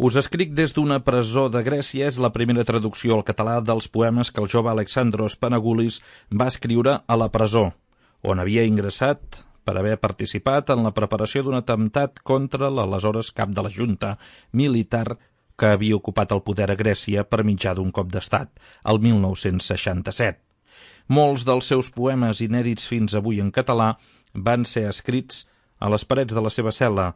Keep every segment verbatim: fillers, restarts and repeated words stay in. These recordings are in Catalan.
Us escric des d'una presó de Grècia és la primera traducció al català dels poemes que el jove Alexandros Panagoulis va escriure a la presó, on havia ingressat per haver participat en la preparació d'un atemptat contra l'aleshores cap de la Junta militar que havia ocupat el poder a Grècia per mitjà d'un cop d'estat, el mil nou-cents seixanta-set. Molts dels seus poemes inèdits fins avui en català van ser escrits a les parets de la seva cel·la.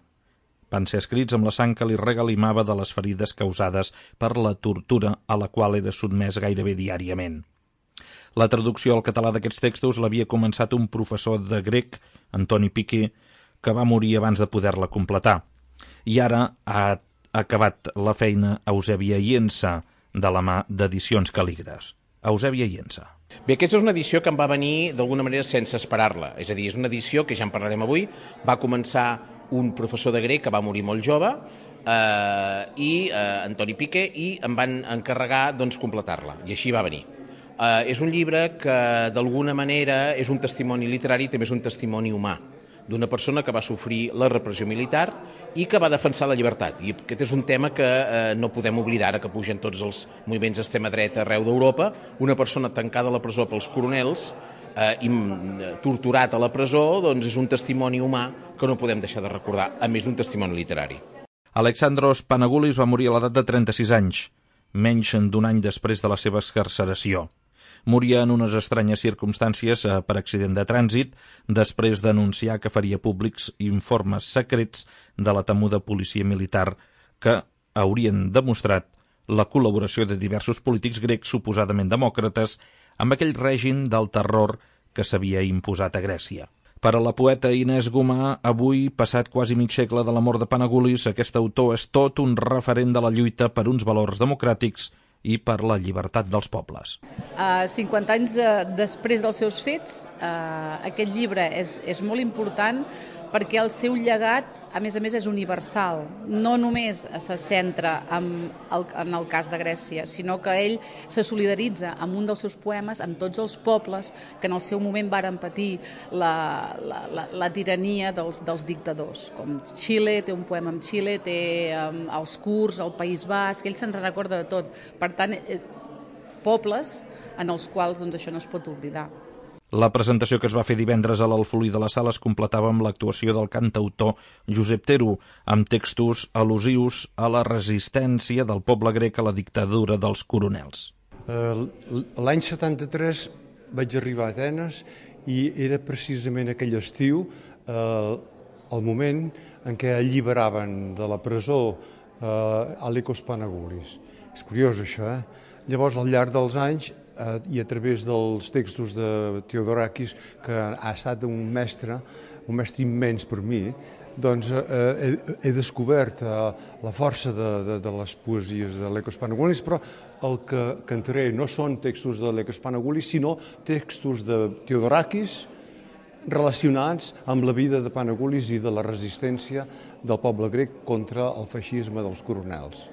Van ser escrits amb la sang que li regalimava de les ferides causades per la tortura a la qual era sotmès gairebé diàriament. La traducció al català d'aquests textos l'havia començat un professor de grec, Antoni Piqué, que va morir abans de poder-la completar. I ara ha acabat la feina Eusèbia Iensa, de la mà d'Edicions Cal·lígrafs. Eusèbia Iensa. Bé, aquesta és una edició que em va venir d'alguna manera sense esperar-la. És a dir, és una edició que ja en parlarem avui. Va començar un professor de grec que va morir molt jove, eh, i eh, Antoni Piqué, i em van encarregar doncs, completar-la, i així va venir. Eh, és un llibre que d'alguna manera és un testimoni literari i també és un testimoni humà d'una persona que va sofrir la repressió militar i que va defensar la llibertat. I aquest és un tema que eh, no podem oblidar, ara que pugen tots els moviments d'extrema dreta arreu d'Europa. Una persona tancada a la presó pels coronels eh, i torturat a la presó, doncs és un testimoni humà que no podem deixar de recordar, a més d'un testimoni literari. Alexandros Panagoulis va morir a l'edat de trenta-sis anys, menys d'un any després de la seva excarceració. Moria en unes estranyes circumstàncies eh, per accident de trànsit, després d'anunciar que faria públics informes secrets de la temuda policia militar que haurien demostrat la col·laboració de diversos polítics grecs suposadament demòcrates amb aquell règim del terror que s'havia imposat a Grècia. Per a la poeta Inés Gomà, avui, passat quasi mig segle de la mort de Panagoulis, aquest autor és tot un referent de la lluita per uns valors democràtics i per la llibertat dels pobles. Uh, cinquanta anys de, després dels seus fets, uh, aquest llibre és, és molt important perquè el seu llegat, a més a més, és universal. No només se centra en el, en el cas de Grècia, sinó que ell se solidaritza amb un dels seus poemes amb tots els pobles que en el seu moment varen patir la, la, la, la tirania dels, dels dictadors. Com Xile, té un poema amb Xile, té um, els kurds, el País Basc, ell se'n recorda de tot. Per tant, eh, pobles en els quals doncs, això no es pot oblidar. La presentació que es va fer divendres a l'Alfolí de la Sala es completava amb l'actuació del cantautor Josep Tero, amb textos al·lusius a la resistència del poble grec a la dictadura dels coronels. L'any setanta-tres vaig arribar a Atenes i era precisament aquell estiu el moment en què alliberaven de la presó Alekos Panagoulis. És curiós això, eh? Llavors, al llarg dels anys, eh, i a través dels textos de Theodorakis, que ha estat un mestre, un mestre immens per mi, doncs eh, he, he descobert eh, la força de, de, de les poesies d'Alekos Panagoulis, però el que cantaré no són textos d'Alekos Panagoulis, sinó textos de Theodorakis relacionats amb la vida de Panagoulis i de la resistència del poble grec contra el feixisme dels coronels.